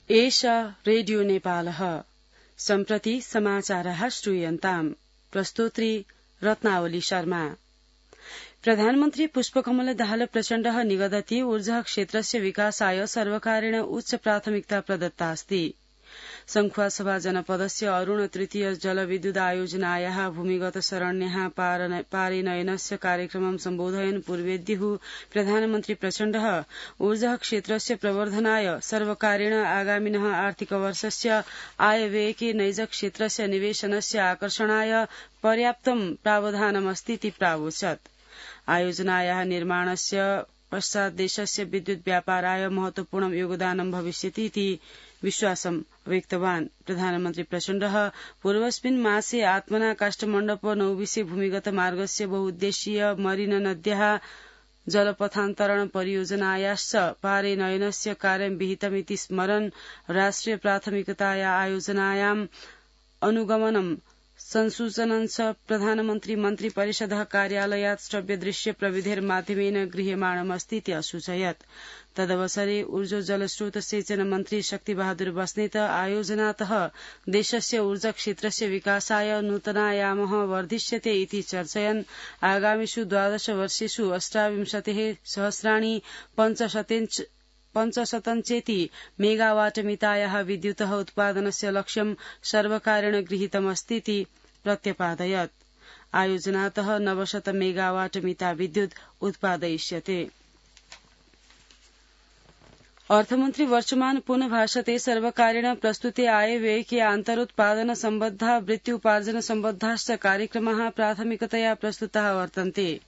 एष रेडियो नेपालः सम्प्रति समाचारः श्रूयन्ताम् प्रस्तोत्री रत्नावली शर्मा। प्रधानमन्त्री पुष्पकमल दाहाल प्रचण्डः निगदति ऊर्जा क्षेत्रस्य विकासाय सर्वकारेण उच्च प्राथमिकता प्रदत्ता अस्ति। संखुवासभा जनपदस्य अरुण तृतीय जलविद्युत आयोजनायाः भूमिगत शरण्याः पारिनयनस्य कार्यक्रमं सम्बोधयन् पूर्वेद्युः प्रधानमन्त्री प्रचण्डः ऊर्जा क्षेत्रस्य प्रवर्धनाय सर्वकारेण आगामिनः आर्थिकवर्षस्य आयव्ययके नैज क्षेत्रस्य निवेशनस्य आकर्षणाय पर्याप्तं प्रावधानमस्तीति प्रावोचत्। आयोजनायाः निर्माणस्य पश्चात् देशस्य विद्युत व्यापाराय महत्वपूर्णं योगदानं भविष्यतीति विश्वासं व्यक्तवान्। प्रधानमन्त्री प्रचण्डः पूर्वस्मिन् मासे आत्मना काष्ठमण्डप नौविसे भूमिगत मार्गस्य बहुउद्देशीय मरिन नद्याः जलपथान्तरण परियोजनायाश्च पारिनयनस्य कार्यं विहितमिति स्मरन् राष्ट्रिय प्राथमिकताया आयोजनायाम् अनुगमनं संसूचनञ्च प्रधानमन्त्री मन्त्री परिषदः कार्यालयात् श्रव्यदृश्य प्रविधेर्माध्यमेन गृह्यमाणमस्तीति असूचयत्। तदवसरे ऊर्जा जलस्रोत सिंचन मन्त्री शक्तिबहादुर बस्नेत आयोजनातः देशस्य ऊर्जा क्षेत्रस्य विकासाय नूतनायामः वर्धिष्यते इति चर्चयन् आगामिषु 12 वर्षेषु 28 सहस्राणि 500 मेगावाट मितायाः विद्युतः उत्पादनस्य लक्ष्यं सर्वकारेण गृहीतमस्तीति प्रत्यपादयत्। आयोजनातः 900 मेगावाट मिता विद्युत् उत्पादयिष्यते। अर्थमन्त्री वर्षमान पुनः भाषते सर्वकारेण प्रस्तुते आयव्ययके आन्तरोत्पादन सम्बद्धा वृत्त्युपार्जन सम्बद्धाश्च कार्यक्रमाः प्राथमिकतया प्रस्तुताः वर्तन्ते।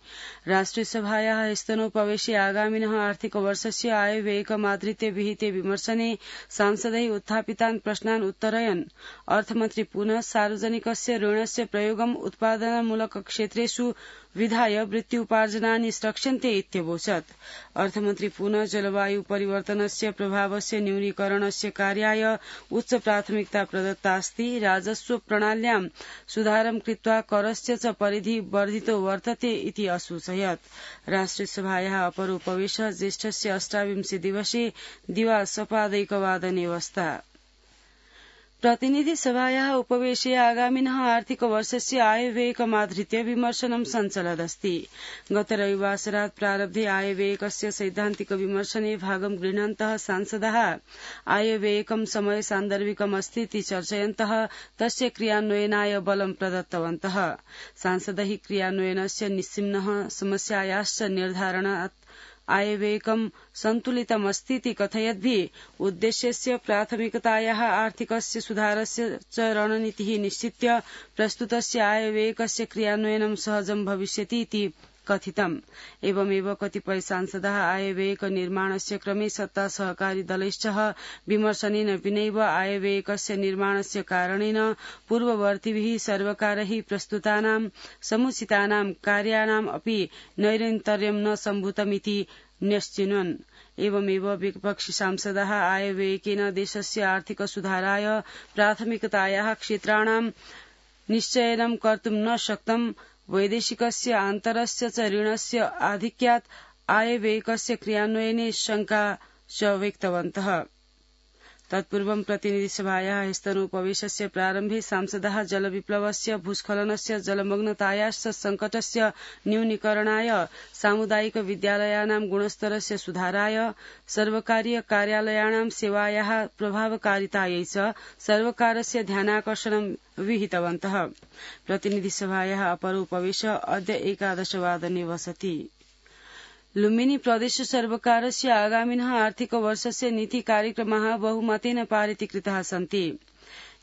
राष्ट्रियसभायाः स्तनोपवेशे आगामिनः आर्थिकवर्षस्य आयव्ययकमाधृत्य विहिते विमर्शने सांसदैः उत्थापितान् प्रश्नान् उत्तरयन् अर्थमन्त्री पुनः सार्वजनिकस्य ऋणस्य प्रयोगम् उत्पादनमूलक क्षेत्रेषु विधाय वृत्त्युपार्जनानि स्रक्ष्यन्ते इत्यवोचत्। अर्थमन्त्री पुनः जलवायु परिवर्तनस्य प्रभावस्य न्यूनीकरणस्य कार्याय उच्च प्राथमिकता प्रदत्तास्ति। राजस्व प्रणाल्यां सुधारं कृत्वा करस्य च परिधि वर्धितो वर्तते इति असूचयत्। राष्ट्रियसभायाः अपरोपवेशः ज्येष्ठस्य 28 दिवसे दिवा सपादैकवादने। प्रतिनिधि सभायाः उपवेशे आगामिनः आर्थिकवर्षस्य आयव्ययकमाधृत्य विमर्शनं सञ्चलदस्ति। गत रविवासरात् प्रारब्धे आयव्ययकस्य सैद्धान्तिक विमर्शने भागं गृह्णन्तः सांसदाः आयव्ययकं समय सान्दर्भिकमस्तीति चर्चयन्तः तस्य क्रियान्वयनाय बलं प्रदत्तवन्तः। सांसदैः क्रियान्वयनस्य निस्सिम्नः समस्यायाश्च निर्धारणात् आयव्ययकं सन्तुलितमस्तीति कथयद्भिः उद्देश्यस्य प्राथमिकतायाः आर्थिकस्य सुधारस्य च रणनीतिः निश्चित्य प्रस्तुतस्य आयव्ययकस्य क्रियान्वयनं सहजं भविष्यतीति कथितम्। एवमेव कतिपय सांसदाः आयव्ययक निर्माणस्य क्रमे सत्ता सहकारी दलैश्च विमर्शनेन विनैव आयव्ययकस्य निर्माणस्य कारणेन पूर्ववर्तिभिः सर्वकारैः प्रस्तुतानां समुचितानां कार्याणाम् अपि नैरन्तर्यं न सम्भूतमिति न्यश्चिन्वन्। एवमेव विपक्षी सांसदाः आयव्ययकेन देशस्य आर्थिक सुधाराय प्राथमिकतायाः क्षेत्राणां निश्चयनं कर्तुं न शक्तं। वैदेशिकस्य आन्तरस्य च ऋणस्य आधिक्यात् आयव्ययकस्य क्रियान्वयने शंका च व्यक्तवन्तः। तत्पूर्वं प्रतिनिधिसभायाः स्तनोपवेशस्य प्रारम्भे सांसदाः जलविप्लवस्य भूस्खलनस्य जलमग्नतायाश्च संकटस्य न्यूनीकरणाय सामुदायिक विद्यालयानां गुणस्तरस्य सुधाराय सर्वकारीय कार्यालयानां सेवायाः प्रभावकारितायै च सर्वकारस्य ध्यानाकर्षणं विहितवन्तः। प्रतिनिधिसभायाः अपरोपवेश अद्य 11 वादने वसति। लुम्बिनी प्रदेश सर्वकारस्य आगामिनः आर्थिकवर्षस्य नीति कार्यक्रमाः बहुमतेन पारितीकृताः सन्ति।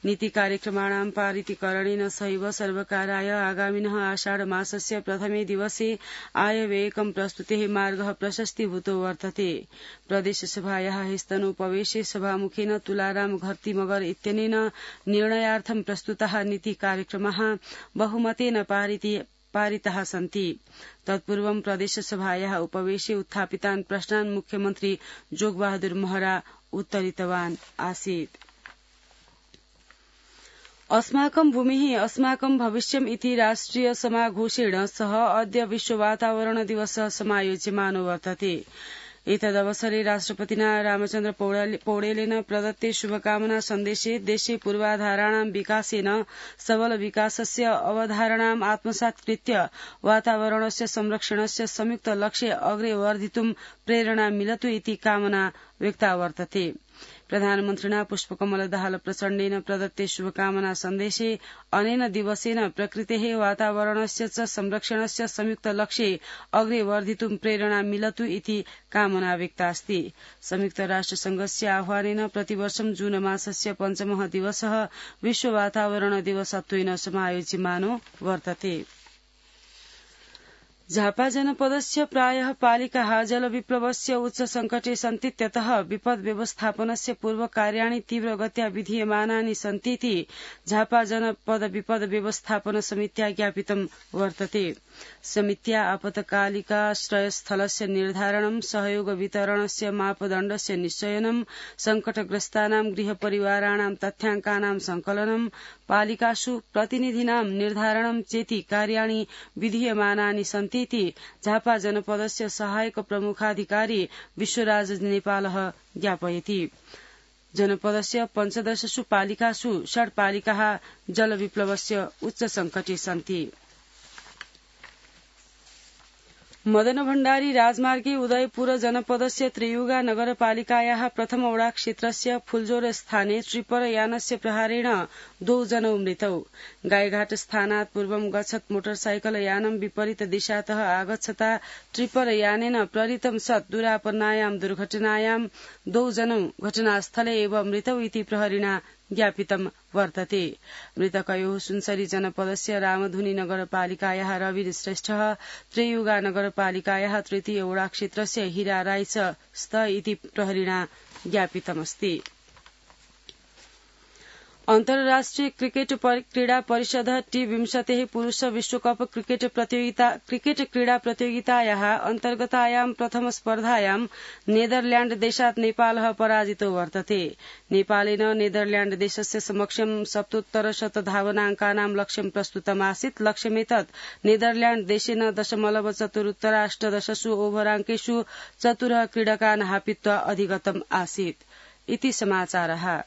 नीति कार्यक्रमाणां पारितीकरणेन सहैव सर्वकाराय आगामिनः आषाढ मासस्य प्रथमे दिवसे आयव्ययकं प्रस्तुतेः मार्गः प्रशस्तीभूतो वर्तते। प्रदेशसभायाः स्तनोपवेशे सभामुखेन तुलाराम घर्तिमगर इत्यनेन निर्णयार्थं प्रस्तुताः नीति कार्यक्रमाः बहुमतेन पारिताः सन्ति। तत्पूर्वं प्रदेशसभायाः उपवेशे उत्थापितान् प्रश्नान् मुख्यमन्त्री जोगबहादुर महरा उत्तरितवान् आसीत्। अस्माकं भूमिः अस्माकं भविष्यम् इति राष्ट्रिय समाघोषेण सह अद्य विश्व वातावरण दिवसः समायोज्यमानो वर्तते। एतदवसरे राष्ट्रपतिना रामचन्द्र पौडेलेन प्रदत्ते शुभकामना सन्देशे देशे पूर्वाधाराणां विकासेन सबल विकासस्य अवधारणाम् आत्मसात्कृत्य वातावरणस्य संरक्षणस्य संयुक्त लक्ष्ये अग्रे वर्धितुं प्रेरणा मिलतु इति कामना व्यक्ता वर्तते। प्रधानमन्त्रिणा पुष्पकमलदाहाल प्रचण्डेन प्रदत्ते शुभकामना सन्देशे अनेन दिवसेन प्रकृतेः वातावरणस्य च संरक्षणस्य संयुक्त लक्ष्ये अग्रे वर्धितुं प्रेरणा मिलतु इति कामना व्यक्ता अस्ति। संयुक्त राष्ट्रसंघस्य आह्वानेन प्रतिवर्षं जून मासस्य पञ्चमः दिवसः विश्व वातावरण दिवसत्वेन समायोज्यमानो वर्तते। झापा जनपदस्य प्रायः पालिकाः जलविप्लवस्य उच्च संकटे सन्तीत्यतः विपद् व्यवस्थापनस्य पूर्वकार्याणि तीव्रगत्या विधीयमानानि सन्तीति झापा जनपद विपद् व्यवस्थापन समित्या ज्ञापितं वर्तते। समित्या आपत्कालिकाश्रयस्थलस्य निर्धारणं, सहयोग वितरणस्य मापदण्डस्य निश्चयनं, संकटग्रस्तानां गृहपरिवाराणां तथ्याङ्कानां संकलनं, पालिकासु प्रतिनिधीनां निर्धारणं चेति कार्याणि विधीयमानानि सन्तीति झापा जनपदस्य सहायक प्रमुखाधिकारी विश्वराज नेपालः ज्ञापयति। जनपदस्य 15 पालिकासु 6 पालिकाः जलविप्लवस्य उच्च संकटे सन्ति। मदन भण्डारी राजमार्गे उदयपुर जनपदस्य त्रियुगा नगरपालिकायाः प्रथम वडा क्षेत्रस्य फुलजोर स्थाने ट्रिपरयानस्य प्रहारेण 2 जनौ मृतौ। गाईघाट स्थानात् पूर्वं गच्छत् मोटरसाइकल यानं विपरीत दिशातः आगच्छता ट्रिपरयानेन प्रेरितं सत् दुरापन्नायां दुर्घटनायां 2 जनौ घटनास्थले एव मृतौ इति प्रहरिणा ज्ञापितं वर्तते। मृतकयोः सुनसरी जनपदस्य रामधुनी नगरपालिकायाः रवि श्रेष्ठः, त्रियुगा नगरपालिकायाः तृतीय वडा क्षेत्रस्य हीरा राई च स्त इति प्रहरिणा ज्ञापितमस्ति। अन्तर्राष्ट्रिय क्रिकेट क्रीडा परिषद T20 पुरुष विश्वकप क्रिकेट क्रीडा प्रतियोगितायाः अन्तर्गतायां प्रथम स्पर्धायां नेदरल्याण्ड देशात् नेपालः पराजितो वर्तते। नेपालेन नेदरल्याण्ड देशस्य समक्षं 77 धावनाङ्कानां लक्ष्यं प्रस्तुतमासीत्। लक्ष्यमेतत् नेदरल्याण्ड देशेन 0.4 ओभराङ्केषु 4 क्रीडकान् हापित्वा अधिगतम् आसीत्। इति समाचारः।